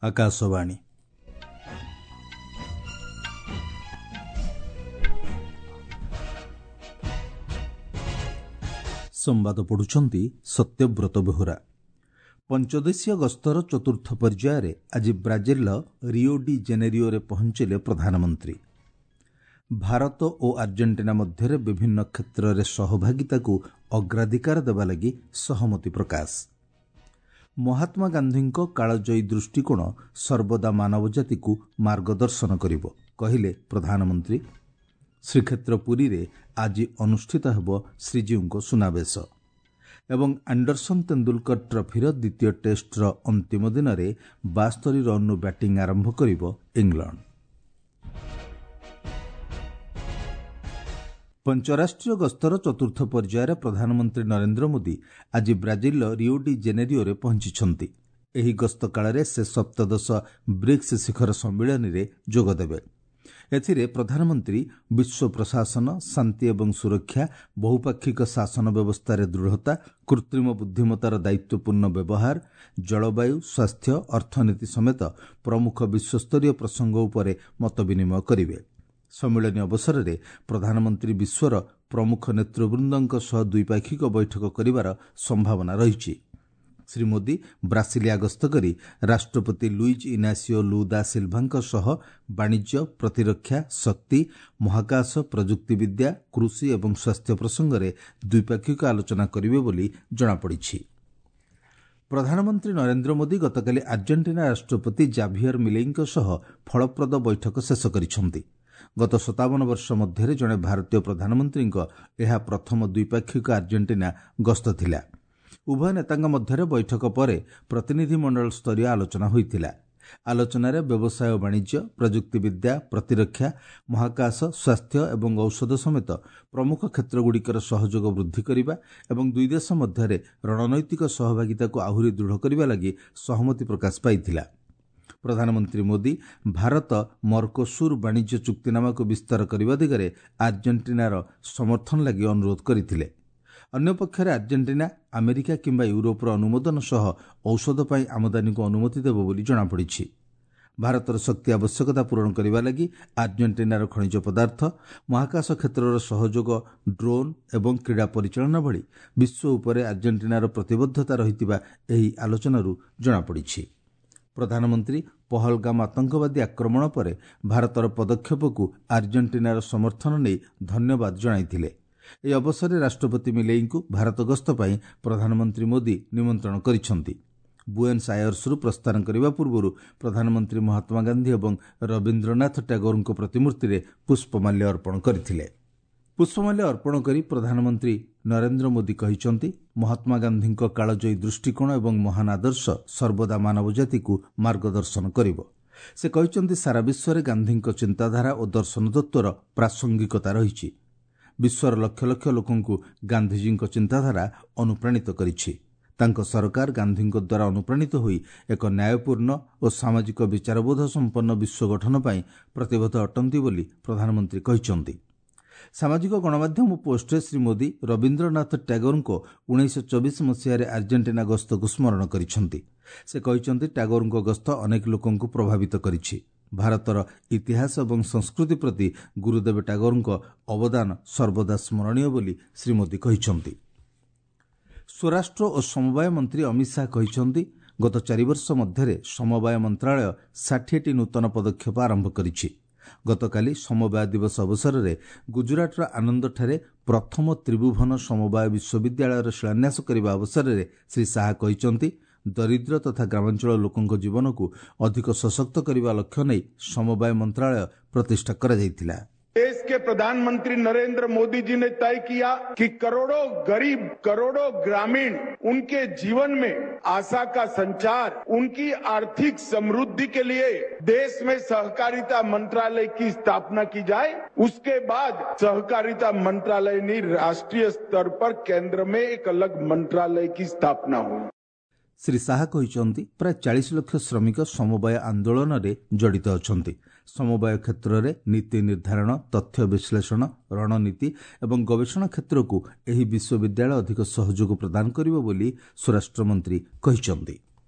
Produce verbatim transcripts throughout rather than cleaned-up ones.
ଆକାଶବାଣୀ। ସମ୍ବାଦ ପଢ଼ୁଛନ୍ତି ସତ୍ୟବ୍ରତ ବେହୁରା। ପଞ୍ଚଦେଶୀୟ ଗସ୍ତର ଚତୁର୍ଥ ପର୍ଯ୍ୟାୟରେ ଆଜି ବ୍ରାଜିଲର ରିଓ ଡି ଜେନେରିଓରେ ପହଞ୍ଚିଲେ ପ୍ରଧାନମନ୍ତ୍ରୀ। ଭାରତ ଓ ଆର୍ଜେଣ୍ଟିନା ମଧ୍ୟରେ ବିଭିନ୍ନ କ୍ଷେତ୍ରରେ ସହଭାଗିତାକୁ ଅଗ୍ରାଧିକାର ଦେବା ଲାଗି ସହମତି ପ୍ରକାଶ। ମହାତ୍ମା ଗାନ୍ଧୀଙ୍କ କାଳଜୟୀ ଦୃଷ୍ଟିକୋଣ ସର୍ବଦା ମାନବଜାତିକୁ ମାର୍ଗଦର୍ଶନ କରିବ, କହିଲେ ପ୍ରଧାନମନ୍ତ୍ରୀ। ଶ୍ରୀକ୍ଷେତ୍ର ପୁରୀରେ ଆଜି ଅନୁଷ୍ଠିତ ହେବ ଶ୍ରୀଜୀଉଙ୍କ ସୁନାବେଶ। ଏବଂ ଆଣ୍ଡରସନ୍ ତେନ୍ଦୁଲକର ଟ୍ରଫିର ଦ୍ୱିତୀୟ ଟେଷ୍ଟର ଅନ୍ତିମ ଦିନରେ ବାସ୍ତରି ରନ୍ରୁ ବ୍ୟାଟିଂ ଆରମ୍ଭ କରିବ ଇଂଲଣ୍ଡ। ପଞ୍ଚରାଷ୍ଟ୍ରୀୟ ଗସ୍ତର ଚତୁର୍ଥ ପର୍ଯ୍ୟାୟରେ ପ୍ରଧାନମନ୍ତ୍ରୀ ନରେନ୍ଦ୍ର ମୋଦି ଆଜି ବ୍ରାଜିଲର ରିଓ ଡି ଜେନେରିଓରେ ପହଞ୍ଚିଛନ୍ତି। ଏହି ଗସ୍ତ କାଳରେ ସେ ସପ୍ତଦଶ ବ୍ରିକ୍ସ ଶିଖର ସମ୍ମିଳନୀରେ ଯୋଗଦେବେ। ଏଥିରେ ପ୍ରଧାନମନ୍ତ୍ରୀ ବିଶ୍ୱ ପ୍ରଶାସନ, ଶାନ୍ତି ଏବଂ ସୁରକ୍ଷା, ବହୁପାକ୍ଷିକ ଶାସନ ବ୍ୟବସ୍ଥାରେ ଦୃଢ଼ତା, କୃତ୍ରିମ ବୁଦ୍ଧିମତ୍ତାର ଦାୟିତ୍ୱପୂର୍ଣ୍ଣ ବ୍ୟବହାର, ଜଳବାୟୁ, ସ୍ୱାସ୍ଥ୍ୟ, ଅର୍ଥନୀତି ସମେତ ପ୍ରମୁଖ ବିଶ୍ୱସ୍ତରୀୟ ପ୍ରସଙ୍ଗ ଉପରେ ମତ ବିନିମୟ କରିବେ। ସମ୍ମିଳନୀ ଅବସରରେ ପ୍ରଧାନମନ୍ତ୍ରୀ ବିଶ୍ୱର ପ୍ରମୁଖ ନେତୃବୃନ୍ଦଙ୍କ ସହ ଦ୍ୱିପାକ୍ଷିକ ବୈଠକ କରିବାର ସମ୍ଭାବନା ରହିଛି। ଶ୍ରୀ ମୋଦି ବ୍ରାସିଲିଆ ଗସ୍ତ କରି ରାଷ୍ଟ୍ରପତି ଲୁଇଜ୍ ଇନାସିଓ ଲୁ ଦା ସିଲଭାଙ୍କ ସହ ବାଣିଜ୍ୟ, ପ୍ରତିରକ୍ଷା, ଶକ୍ତି, ମହାକାଶ, ପ୍ରଯୁକ୍ତିବିଦ୍ୟା, କୃଷି ଏବଂ ସ୍ୱାସ୍ଥ୍ୟ ପ୍ରସଙ୍ଗରେ ଦ୍ୱିପାକ୍ଷିକ ଆଲୋଚନା କରିବେ ବୋଲି ଜଣାପଡ଼ିଛି। ପ୍ରଧାନମନ୍ତ୍ରୀ ନରେନ୍ଦ୍ର ମୋଦି ଗତକାଲି ଆର୍ଜେଣ୍ଟିନା ରାଷ୍ଟ୍ରପତି ଜାଭିୟର ମିଲେଇଙ୍କ ସହ ଫଳପ୍ରଦ ବୈଠକ ଶେଷ କରିଛନ୍ତି। ଗତ ସତାବନ ବର୍ଷ ମଧ୍ୟରେ ଜଣେ ଭାରତୀୟ ପ୍ରଧାନମନ୍ତ୍ରୀଙ୍କ ଏହା ପ୍ରଥମ ଦ୍ୱିପାକ୍ଷିକ ଆର୍ଜେଣ୍ଟିନା ଗସ୍ତ ଥିଲା। ଉଭୟ ନେତାଙ୍କ ମଧ୍ୟରେ ବୈଠକ ପରେ ପ୍ରତିନିଧିମଣ୍ଡଳ ସ୍ତରୀୟ ଆଲୋଚନା ହୋଇଥିଲା। ଆଲୋଚନାରେ ବ୍ୟବସାୟ ଓ ବାଣିଜ୍ୟ, ପ୍ରଯୁକ୍ତିବିଦ୍ୟା, ପ୍ରତିରକ୍ଷା, ମହାକାଶ, ସ୍ୱାସ୍ଥ୍ୟ ଏବଂ ଔଷଧ ସମେତ ପ୍ରମୁଖ କ୍ଷେତ୍ରଗୁଡ଼ିକର ସହଯୋଗ ବୃଦ୍ଧି କରିବା ଏବଂ ଦୁଇ ଦେଶ ମଧ୍ୟରେ ରଣନୈତିକ ସହଭାଗିତାକୁ ଆହୁରି ଦୃଢ଼ କରିବା ଲାଗି ସହମତି ପ୍ରକାଶ ପାଇଥିଲା। ପ୍ରଧାନମନ୍ତ୍ରୀ ମୋଦି ଭାରତ ମର୍କୋସୁର ବାଣିଜ୍ୟ ଚୁକ୍ତିନାମାକୁ ବିସ୍ତାର କରିବା ଦିଗରେ ଆର୍ଜେଣ୍ଟିନାର ସମର୍ଥନ ଲାଗି ଅନୁରୋଧ କରିଥିଲେ। ଅନ୍ୟପକ୍ଷରେ ଆର୍ଜେଣ୍ଟିନା ଆମେରିକା କିମ୍ବା ୟୁରୋପର ଅନୁମୋଦନ ସହ ଔଷଧ ପାଇଁ ଆମଦାନୀକୁ ଅନୁମତି ଦେବ ବୋଲି ଜଣାପଡ଼ିଛି। ଭାରତର ଶକ୍ତି ଆବଶ୍ୟକତା ପୂରଣ କରିବା ଲାଗି ଆର୍ଜେଣ୍ଟିନାର ଖଣିଜ ପଦାର୍ଥ, ମହାକାଶ କ୍ଷେତ୍ରର ସହଯୋଗ, ଡ୍ରୋନ୍ ଏବଂ କ୍ରୀଡ଼ା ପରିଚାଳନା ଭଳି ବିଶ୍ୱ ଉପରେ ଆର୍ଜେଣ୍ଟିନାର ପ୍ରତିବଦ୍ଧତା ରହିଥିବା ଏହି ଆଲୋଚନାରୁ ଜଣାପଡ଼ିଛି। ପ୍ରଧାନମନ୍ତ୍ରୀ ପହଲଗାମ ଆତଙ୍କବାଦୀ ଆକ୍ରମଣ ପରେ ଭାରତର ପଦକ୍ଷେପକୁ ଆର୍ଜେଣ୍ଟିନାର ସମର୍ଥନ ନେଇ ଧନ୍ୟବାଦ ଜଣାଇଥିଲେ। ଏହି ଅବସରରେ ରାଷ୍ଟ୍ରପତି ମିଲେଇଙ୍କୁ ଭାରତ ଗସ୍ତ ପାଇଁ ପ୍ରଧାନମନ୍ତ୍ରୀ ମୋଦି ନିମନ୍ତ୍ରଣ କରିଛନ୍ତି। ବୁଏନ୍ସ ଆୟର୍ସରୁ ପ୍ରସ୍ଥାନ କରିବା ପୂର୍ବରୁ ପ୍ରଧାନମନ୍ତ୍ରୀ ମହାତ୍ମା ଗାନ୍ଧୀ ଏବଂ ରବୀନ୍ଦ୍ରନାଥ ଟାଗୋରଙ୍କ ପ୍ରତିମୂର୍ତ୍ତିରେ ପୁଷ୍ପମାଲ୍ୟ ଅର୍ପଣ କରିଥିଲେ। ପୁଷ୍ପମାଲ୍ୟ ଅର୍ପଣ କରି ପ୍ରଧାନମନ୍ତ୍ରୀ ନରେନ୍ଦ୍ର ମୋଦି କହିଛନ୍ତି, ମହାତ୍ମା ଗାନ୍ଧୀଙ୍କ କାଳଜୟୀ ଦୃଷ୍ଟିକୋଣ ଏବଂ ମହାନ ଆଦର୍ଶ ସର୍ବଦା ମାନବଜାତିକୁ ମାର୍ଗଦର୍ଶନ କରିବ। ସେ କହିଛନ୍ତି, ସାରା ବିଶ୍ୱରେ ଗାନ୍ଧୀଙ୍କ ଚିନ୍ତାଧାରା ଓ ଦର୍ଶନ ତତ୍ତ୍ୱର ପ୍ରାସଙ୍ଗିକତା ରହିଛି। ବିଶ୍ୱର ଲକ୍ଷ ଲକ୍ଷ ଲୋକଙ୍କୁ ଗାନ୍ଧିଜୀଙ୍କ ଚିନ୍ତାଧାରା ଅନୁପ୍ରାଣିତ କରିଛି। ତାଙ୍କ ସରକାର ଗାନ୍ଧୀଙ୍କ ଦ୍ୱାରା ଅନୁପ୍ରାଣିତ ହୋଇ ଏକ ନ୍ୟାୟପୂର୍ଣ୍ଣ ଓ ସାମାଜିକ ବିଚାରବୋଧ ସମ୍ପନ୍ନ ବିଶ୍ୱ ଗଠନ ପାଇଁ ପ୍ରତିବଦ୍ଧ ଅଟନ୍ତି ବୋଲି ପ୍ରଧାନମନ୍ତ୍ରୀ କହିଛନ୍ତି। ସାମାଜିକ ଗଣମାଧ୍ୟମ ପୋଷ୍ଟରେ ଶ୍ରୀ ମୋଦି ରବୀନ୍ଦ୍ରନାଥ ଟ୍ୟାଗୋରଙ୍କ ଉଣେଇଶହ ଚବିଶ ମସିହାରେ ଆର୍ଜେଣ୍ଟିନା ଗସ୍ତକୁ ସ୍ମରଣ କରିଛନ୍ତି। ସେ କହିଛନ୍ତି, ଟ୍ୟାଗୋରଙ୍କ ଗସ୍ତ ଅନେକ ଲୋକଙ୍କୁ ପ୍ରଭାବିତ କରିଛି। ଭାରତର ଇତିହାସ ଏବଂ ସଂସ୍କୃତି ପ୍ରତି ଗୁରୁଦେବ ଟାଗୋରଙ୍କ ଅବଦାନ ସର୍ବଦା ସ୍ମରଣୀୟ ବୋଲି ଶ୍ରୀ ମୋଦି କହିଛନ୍ତି। ସ୍ୱରାଷ୍ଟ୍ର ଓ ସମବାୟ ମନ୍ତ୍ରୀ ଅମିତ ଶାହା କହିଛନ୍ତି, ଗତ ଚାରିବର୍ଷ ମଧ୍ୟରେ ସମବାୟ ମନ୍ତ୍ରାଳୟ ଷାଠିଏଟି ନୂତନ ପଦକ୍ଷେପ ଆରମ୍ଭ କରିଛି। ଗତକାଲି ସମବାୟ ଦିବସ ଅବସରରେ ଗୁଜରାଟର ଆନନ୍ଦଠାରେ ପ୍ରଥମ ତ୍ରିଭୁବନ ସମବାୟ ବିଶ୍ୱବିଦ୍ୟାଳୟର ଶିଳାନ୍ୟାସ କରିବା ଅବସରରେ ଶ୍ରୀ ଶାହା କହିଛନ୍ତି, ଦରିଦ୍ର ତଥା ଗ୍ରାମାଞ୍ଚଳ ଲୋକଙ୍କ ଜୀବନକୁ ଅଧିକ ସଶକ୍ତ କରିବା ଲକ୍ଷ୍ୟ ନେଇ ସମବାୟ ମନ୍ତ୍ରାଳୟ ପ୍ରତିଷ୍ଠା କରାଯାଇଥିଲା। देश के प्रधानमंत्री नरेंद्र मोदी जी ने तय किया कि करोड़ों गरीब, करोड़ों ग्रामीण, उनके जीवन में आशा का संचार, उनकी आर्थिक समृद्धि के लिए देश में सहकारिता मंत्रालय की स्थापना की जाए। उसके बाद सहकारिता मंत्रालय ने राष्ट्रीय स्तर पर केंद्र में एक अलग मंत्रालय की स्थापना हुई। ଶ୍ରୀ ଶାହା କହିଛନ୍ତି, ପ୍ରାୟ ଚାଳିଶ ଲକ୍ଷ ଶ୍ରମିକ ସମବାୟ ଆନ୍ଦୋଳନରେ ଜଡ଼ିତ ଅଛନ୍ତି। ସମବାୟ କ୍ଷେତ୍ରରେ ନୀତି ନିର୍ଦ୍ଧାରଣ, ତଥ୍ୟ ବିଶ୍ଳେଷଣ, ରଣନୀତି ଏବଂ ଗବେଷଣା କ୍ଷେତ୍ରକୁ ଏହି ବିଶ୍ୱବିଦ୍ୟାଳୟ ଅଧିକ ସହଯୋଗ ପ୍ରଦାନ କରିବ ବୋଲି ସ୍ୱରାଷ୍ଟ୍ରମନ୍ତ୍ରୀ କହିଛନ୍ତି।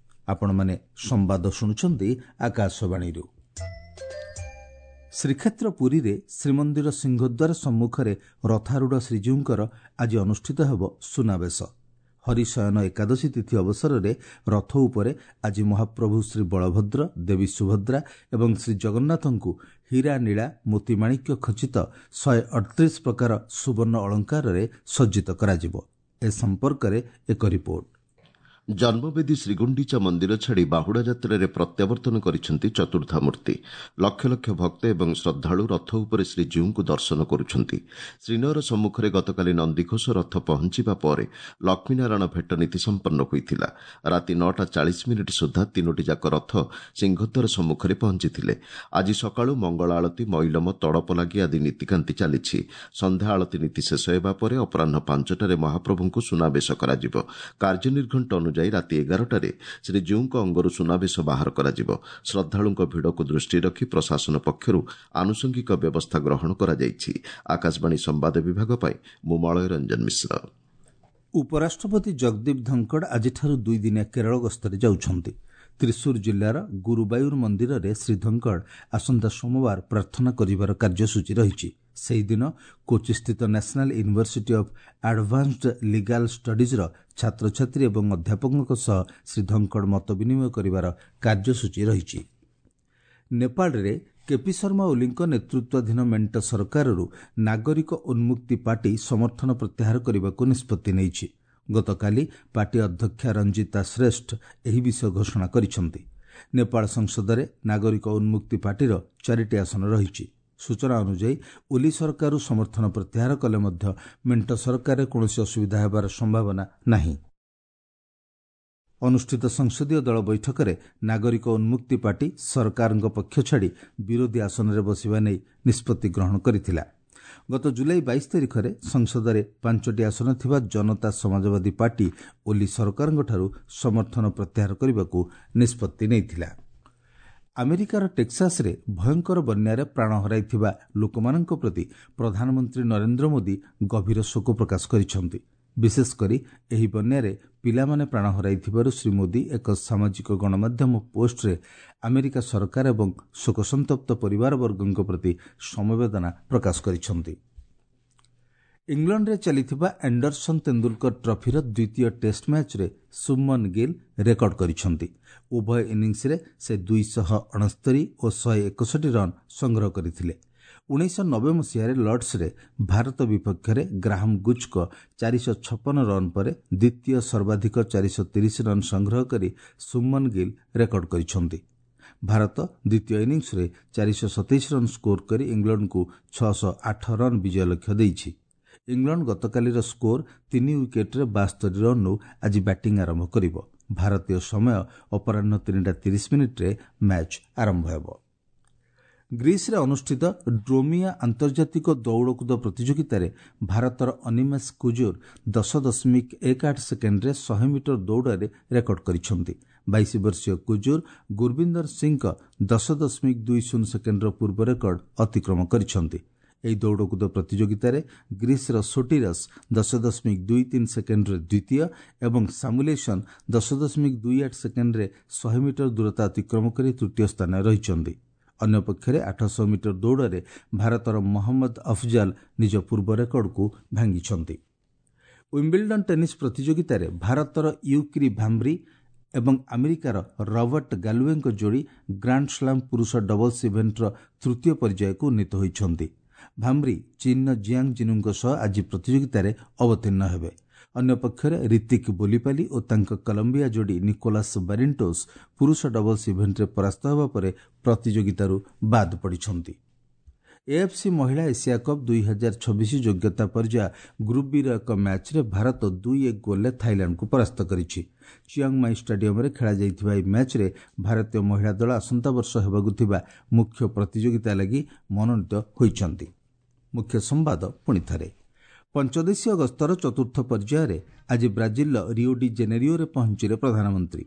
ଆପଣମାନେ ସମ୍ବାଦ ଶୁଣୁଛନ୍ତି ଆକାଶବାଣୀରୁ। ଶ୍ରୀକ୍ଷେତ୍ର ପୁରୀରେ ଶ୍ରୀମନ୍ଦିର ସିଂହଦ୍ୱାର ସମ୍ମୁଖରେ ରଥାରୂଢ଼ ଶ୍ରୀଜୀଉଙ୍କର ଆଜି ଅନୁଷ୍ଠିତ ହେବ ସୁନାବେଶ। ହରିଶୟନ ଏକାଦଶୀ ତିଥି ଅବସରରେ ରଥ ଉପରେ ଆଜି ମହାପ୍ରଭୁ ଶ୍ରୀ ବଳଭଦ୍ର, ଦେବୀ ସୁଭଦ୍ରା ଏବଂ ଶ୍ରୀ ଜଗନ୍ନାଥଙ୍କୁ ହୀରା, ନୀଳା, ମୋତିମାଣିକ୍ୟ ଖଚିତ ଶହେ ଅଠତିରିଶ ପ୍ରକାର ସୁବର୍ଣ୍ଣ ଅଳଙ୍କାରରେ ସଜ୍ଜିତ କରାଯିବ। ଏ ସମ୍ପର୍କରେ ଏକ ରିପୋର୍ଟ। ଜନ୍ମବେଦୀ ଶ୍ରୀଗୁଣ୍ଡିଚା ମନ୍ଦିର ଛାଡ଼ି ବାହୁଡ଼ା ଯାତ୍ରାରେ ପ୍ରତ୍ୟାବର୍ତ୍ତନ କରିଛନ୍ତି ଚତୁର୍ଦ୍ଧାମୂର୍ତ୍ତି। ଲକ୍ଷ ଲକ୍ଷ ଭକ୍ତ ଏବଂ ଶ୍ରଦ୍ଧାଳୁ ରଥ ଉପରେ ଶ୍ରୀଜୀଉଙ୍କୁ ଦର୍ଶନ କରୁଛନ୍ତି। ଶ୍ରୀନଅର ସମ୍ମୁଖରେ ଗତକାଲି ନନ୍ଦିଘୋଷ ରଥ ପହଞ୍ଚିବା ପରେ ଲକ୍ଷ୍ମୀନାରାୟଣ ଭେଟ ନୀତି ସମ୍ପନ୍ନ ହୋଇଥିଲା। ରାତି ନଅଟା ଚାଳିଶ ମିନିଟ୍ ସୁଦ୍ଧା ତିନୋଟି ଯାକ ରଥ ସିଂହଦ୍ୱାର ସମ୍ମୁଖରେ ପହଞ୍ଚିଥିଲେ। ଆଜି ସକାଳୁ ମଙ୍ଗଳ ଆଳତୀ, ମଇଲମ, ତଡ଼ପ ଲାଗି ଆଦି ନୀତିକାନ୍ତି ଚାଲିଛି। ସନ୍ଧ୍ୟା ଆଳତୀ ନୀତି ଶେଷ ହେବା ପରେ ଅପରାହ୍ନ ପାଞ୍ଚଟାରେ ମହାପ୍ରଭୁଙ୍କୁ ସୁନାବେଶ କରାଯିବ। କାର୍ଯ୍ୟନିର୍ଘଣ୍ଟ ଅନୁଯାୟୀ ରାତି ଏଗାରଟାରେ ଶ୍ରୀଜୀଉଙ୍କ ଅଙ୍ଗରୁ ସୁନାବେଶ ବାହାର କରାଯିବ। ଶ୍ରଦ୍ଧାଳୁଙ୍କ ଭିଡ଼କୁ ଦୃଷ୍ଟିରେ ରଖି ପ୍ରଶାସନ ପକ୍ଷରୁ ଆନୁଷଙ୍ଗିକ ବ୍ୟବସ୍ଥା ଗ୍ରହଣ କରାଯାଇଛି। ଆକାଶବାଣୀ ସମ୍ବାଦ ବିଭାଗ ପାଇଁ ମୁଁ ମଳୟ ରଞ୍ଜନ ମିଶ୍ର। ଉପରାଷ୍ଟ୍ରପତି ଜଗଦୀପ ଧନଖଡ଼ ଆଜିଠାରୁ ଦୁଇଦିନିଆ କେରଳ ଗସ୍ତରେ ଯାଉଛନ୍ତି। ତ୍ରିଶୂର ଜିଲ୍ଲାର ଗୁରୁବାୟୁର ମନ୍ଦିରରେ ଶ୍ରୀ ଧନଖଡ଼ ଆସନ୍ତା ସୋମବାର ପ୍ରାର୍ଥନା କରିବାର କାର୍ଯ୍ୟସୂଚୀ ରହିଛି। ସେହିଦିନ କୋଚିସ୍ଥିତ National University of Advanced Legal ଷ୍ଟଡିଜ୍ର ଛାତ୍ରଛାତ୍ରୀ ଏବଂ ଅଧ୍ୟାପକଙ୍କ ସହ ଶ୍ରୀ ଧନଖଡ଼ ମତ ବିନିମୟ କରିବାର କାର୍ଯ୍ୟସୂଚୀ ରହିଛି। ନେପାଳରେ କେପି ଶର୍ମା ଓଲିଙ୍କ ନେତୃତ୍ୱାଧୀନ ମେଣ୍ଟ ସରକାରରୁ ନାଗରିକ ଉନ୍ମୁକ୍ତି ପାର୍ଟି ସମର୍ଥନ ପ୍ରତ୍ୟାହାର କରିବାକୁ ନିଷ୍ପତ୍ତି ନେଇଛି। ଗତକାଲି ପାର୍ଟି ଅଧ୍ୟକ୍ଷା ରଞ୍ଜିତା ଶ୍ରେଷ୍ଠ ଏହି ବିଷୟ ଘୋଷଣା କରିଛନ୍ତି। ନେପାଳ ସଂସଦରେ ନାଗରିକ ଉନ୍ମୁକ୍ତି ପାର୍ଟିର ଚାରିଟି ଆସନ ରହିଛି। ସୂଚନା ଅନୁଯାୟୀ ଓଲି ସରକାରରୁ ସମର୍ଥନ ପ୍ରତ୍ୟାହାର କଲେ ମଧ୍ୟ ମେଣ୍ଟ ସରକାରରେ କୌଣସି ଅସୁବିଧା ହେବାର ସମ୍ଭାବନା ନାହିଁ। ଅନୁଷ୍ଠିତ ସଂସଦୀୟ ଦଳ ବୈଠକରେ ନାଗରିକ ଉନ୍ମୁକ୍ତି ପାର୍ଟି ସରକାରଙ୍କ ପକ୍ଷ ଛାଡ଼ି ବିରୋଧୀ ଆସନରେ ବସିବା ନେଇ ନିଷ୍ପତ୍ତି ଗ୍ରହଣ କରିଥିଲା। ଗତ ଜୁଲାଇ ବାଇଶ ତାରିଖରେ ସଂସଦରେ ପାଞ୍ଚଟି ଆସନ ଥିବା ଜନତା ସମାଜବାଦୀ ପାର୍ଟି ଓଲି ସରକାରଙ୍କଠାରୁ ସମର୍ଥନ ପ୍ରତ୍ୟାହାର କରିବାକୁ ନିଷ୍ପତ୍ତି ନେଇଥିଲା। ଆମେରିକାର ଟେକ୍ସାସରେ ଭୟଙ୍କର ବନ୍ୟାରେ ପ୍ରାଣ ହରାଇଥିବା ଲୋକମାନଙ୍କ ପ୍ରତି ପ୍ରଧାନମନ୍ତ୍ରୀ ନରେନ୍ଦ୍ର ମୋଦି ଗଭୀର ଶୋକ ପ୍ରକାଶ କରିଛନ୍ତି। ବିଶେଷ କରି ଏହି ବନ୍ୟାରେ ପିଲାମାନେ ପ୍ରାଣ ହରାଇଥିବାରୁ ଶ୍ରୀ ମୋଦି ଏକ ସାମାଜିକ ଗଣମାଧ୍ୟମ ପୋଷ୍ଟରେ ଆମେରିକା ସରକାର ଏବଂ ଶୋକସନ୍ତପ୍ତ ପରିବାରବର୍ଗଙ୍କ ପ୍ରତି ସମବେଦନା ପ୍ରକାଶ କରିଛନ୍ତି। ଇଂଲଣ୍ଡରେ ଚାଲିଥିବା ଆଣ୍ଡରସନ୍ ତେନ୍ଦୁଲକର ଟ୍ରଫିର ଦ୍ୱିତୀୟ ଟେଷ୍ଟ ମ୍ୟାଚ୍ରେ ଶୁଭମନ ଗିଲ୍ ରେକର୍ଡ କରିଛନ୍ତି। ଉଭୟ ଇନିଂସରେ ସେ ଦୁଇଶହ ଅଣସ୍ତରୀ ଓ ଶହେ ଏକଷଠି ରନ୍ ସଂଗ୍ରହ କରିଥିଲେ। ଉଣେଇଶହ ନବେ ମସିହାରେ ଲର୍ଡସରେ ଭାରତ ବିପକ୍ଷରେ ଗ୍ରାହମ ଗୁଚ୍ଙ୍କ ଚାରିଶହ ଛପନ ରନ୍ ପରେ ଦ୍ୱିତୀୟ ସର୍ବାଧିକ ଚାରିଶହ ତିରିଶ ରନ୍ ସଂଗ୍ରହ କରି ଶୁଭମନ ଗିଲ୍ ରେକର୍ଡ କରିଛନ୍ତି। ଭାରତ ଦ୍ୱିତୀୟ ଇନିଂସରେ ଚାରିଶହ ସତେଇଶ ରନ୍ ସ୍କୋର କରି ଇଂଲଣ୍ଡକୁ ଛଅଶହ ଆଠ ରନ୍ ବିଜୟ ଲକ୍ଷ୍ୟ ଦେଇଛି। ଇଂଲଣ୍ଡ ଗତକାଲିର ସ୍କୋର ତିନି ୱିକେଟ୍ରେ ବାସ୍ତରୀ ରନ୍ରୁ ଆଜି ବ୍ୟାଟିଂ ଆରମ୍ଭ କରିବ। ଭାରତୀୟ ସମୟ ଅପରାହ୍ନ ତିନିଟା ତିରିଶ ମିନିଟ୍ରେ ମ୍ୟାଚ୍ ଆରମ୍ଭ ହେବ। ଗ୍ରୀସ୍ରେ ଅନୁଷ୍ଠିତ ଡ୍ରୋମିଆ ଆନ୍ତର୍ଜାତିକ ଦୌଡ଼କୁଦ ପ୍ରତିଯୋଗିତାରେ ଭାରତର ଅନିମେଷ କୁଜୁର ଦଶ ଦଶମିକ ଏକ ଆଠ ସେକେଣ୍ଡରେ ଶହେ ମିଟର ଦୌଡ଼ରେ ରେକର୍ଡ କରିଛନ୍ତି। ବାଇଶ ବର୍ଷୀୟ କୁଜୁର ଗୁରବିନ୍ଦର ସିଂଙ୍କ ଦଶ ଦଶମିକ ଦୁଇ ଶୂନ ସେକେଣ୍ଡର ପୂର୍ବ ରେକର୍ଡ ଅତିକ୍ରମ କରିଛନ୍ତି। ଏହି ଦୌଡ଼କୁଦ ପ୍ରତିଯୋଗିତାରେ ଗ୍ରୀସ୍ର ସୋଟିରସ୍ ଦଶ ଦଶମିକ ଦୁଇ ତିନି ସେକେଣ୍ଡରେ ଦ୍ୱିତୀୟ ଏବଂ ସାମୁଲେସନ୍ ଦଶ ଦଶମିକ ଦୁଇ ଆଠ ସେକେଣ୍ଡରେ ଶହେ ମିଟର ଦୂରତା ଅତିକ୍ରମ କରି ତୃତୀୟ ସ୍ଥାନରେ ରହିଛନ୍ତି। ଅନ୍ୟପକ୍ଷରେ ଆଠଶହ ମିଟର ଦୌଡ଼ରେ ଭାରତର ମହମ୍ମଦ ଅଫଜାଲ ନିଜ ପୂର୍ବ ରେକର୍ଡକୁ ଭାଙ୍ଗିଛନ୍ତି। ୱିମ୍ବିଲ୍ଡନ୍ ଟେନିସ୍ ପ୍ରତିଯୋଗିତାରେ ଭାରତର ୟୁକ୍ରି ଭାମ୍ବ୍ରି ଏବଂ ଆମେରିକାର ରବର୍ଟ ଗାଲୁଏଙ୍କ ଯୋଡ଼ି ଗ୍ରାଣ୍ଡ ସ୍ଲାମ୍ ପୁରୁଷ ଡବଲ୍ସ ଇଭେଣ୍ଟର ତୃତୀୟ ପର୍ଯ୍ୟାୟକୁ ଉନ୍ନୀତ ହୋଇଛନ୍ତି। ଭାମ୍ବ୍ରି ଚୀନର ଜିଆଙ୍ଗ ଜିନୁଙ୍କ ସହ ଆଜି ପ୍ରତିଯୋଗିତାରେ ଅବତୀର୍ଣ୍ଣ ହେବେ। ଅନ୍ୟପକ୍ଷରେ ରିତିକ ବୋଲିପାଲି ଓ ତାଙ୍କ କଲମ୍ବିଆ ଯୋଡ଼ି ନିକୋଲାସ୍ ବାରିଣ୍ଟୋସ୍ ପୁରୁଷ ଡବଲ୍ସ ଇଭେଣ୍ଟରେ ପରାସ୍ତ ହେବା ପରେ ପ୍ରତିଯୋଗିତାରୁ ବାଦ୍ ପଡ଼ିଛନ୍ତି। ଏଏଫ୍ସି ମହିଳା ଏସିଆ କପ୍ ଦୁଇ ହଜାର ଛବିଶ ଯୋଗ୍ୟତା ପର୍ଯ୍ୟାୟ ଗ୍ରୁପ୍ ବିର ଏକ ମ୍ୟାଚ୍ରେ ଭାରତ ଦୁଇ ଏକ ଗୋଲ୍ରେ ଥାଇଲାଣ୍ଡକୁ ପରାସ୍ତ କରିଛି। ଚିଆଙ୍ଗମାଇ ଷ୍ଟାଡିୟମରେ ଖେଳାଯାଇଥିବା ଏହି ମ୍ୟାଚ୍ରେ ଭାରତୀୟ ମହିଳା ଦଳ ଆସନ୍ତା ବର୍ଷ ହେବାକୁ ଥିବା ମୁଖ୍ୟ ପ୍ରତିଯୋଗିତା ଲାଗି ମନୋନୀତ ହୋଇଛନ୍ତି। ମୁଖ୍ୟ ସମ୍ବାଦ ପୁଣି ଥରେ। ପଞ୍ଚଦେଶୀୟ ଗସ୍ତର ଚତୁର୍ଥ ପର୍ଯ୍ୟାୟରେ ଆଜି ବ୍ରାଜିଲର ରିଓ ଡି ଜେନେରିଓରେ ପହଞ୍ଚିଲେ ପ୍ରଧାନମନ୍ତ୍ରୀ।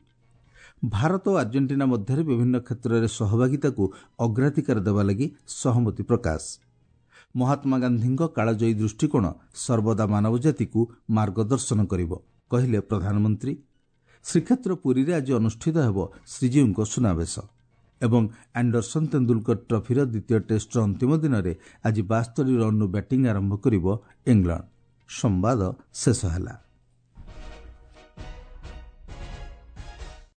ଭାରତ ଓ ଆର୍ଜେଣ୍ଟିନା ମଧ୍ୟରେ ବିଭିନ୍ନ କ୍ଷେତ୍ରରେ ସହଭାଗିତାକୁ ଅଗ୍ରାଧିକାର ଦେବା ଲାଗି ସହମତି ପ୍ରକାଶ। ମହାତ୍ମା ଗାନ୍ଧୀଙ୍କ କାଳଜୟୀ ଦୃଷ୍ଟିକୋଣ ସର୍ବଦା ମାନବଜାତିକୁ ମାର୍ଗଦର୍ଶନ କରିବ, କହିଲେ ପ୍ରଧାନମନ୍ତ୍ରୀ। ଶ୍ରୀକ୍ଷେତ୍ର ପୁରୀରେ ଆଜି ଅନୁଷ୍ଠିତ ହେବ ଶ୍ରୀଜୀଉଙ୍କ ସୁନାବେଶ। ଏବଂ ଆଣ୍ଡରସନ୍ ତେନ୍ଦୁଲକର ଟ୍ରଫିର ଦ୍ୱିତୀୟ ଟେଷ୍ଟର ଅନ୍ତିମ ଦିନରେ ଆଜି ବାସ୍ତରି ରନ୍ରୁ ବ୍ୟାଟିଂ ଆରମ୍ଭ କରିବ ଇଂଲଣ୍ଡ। ସମ୍ବାଦ ଶେଷ ହେଲା।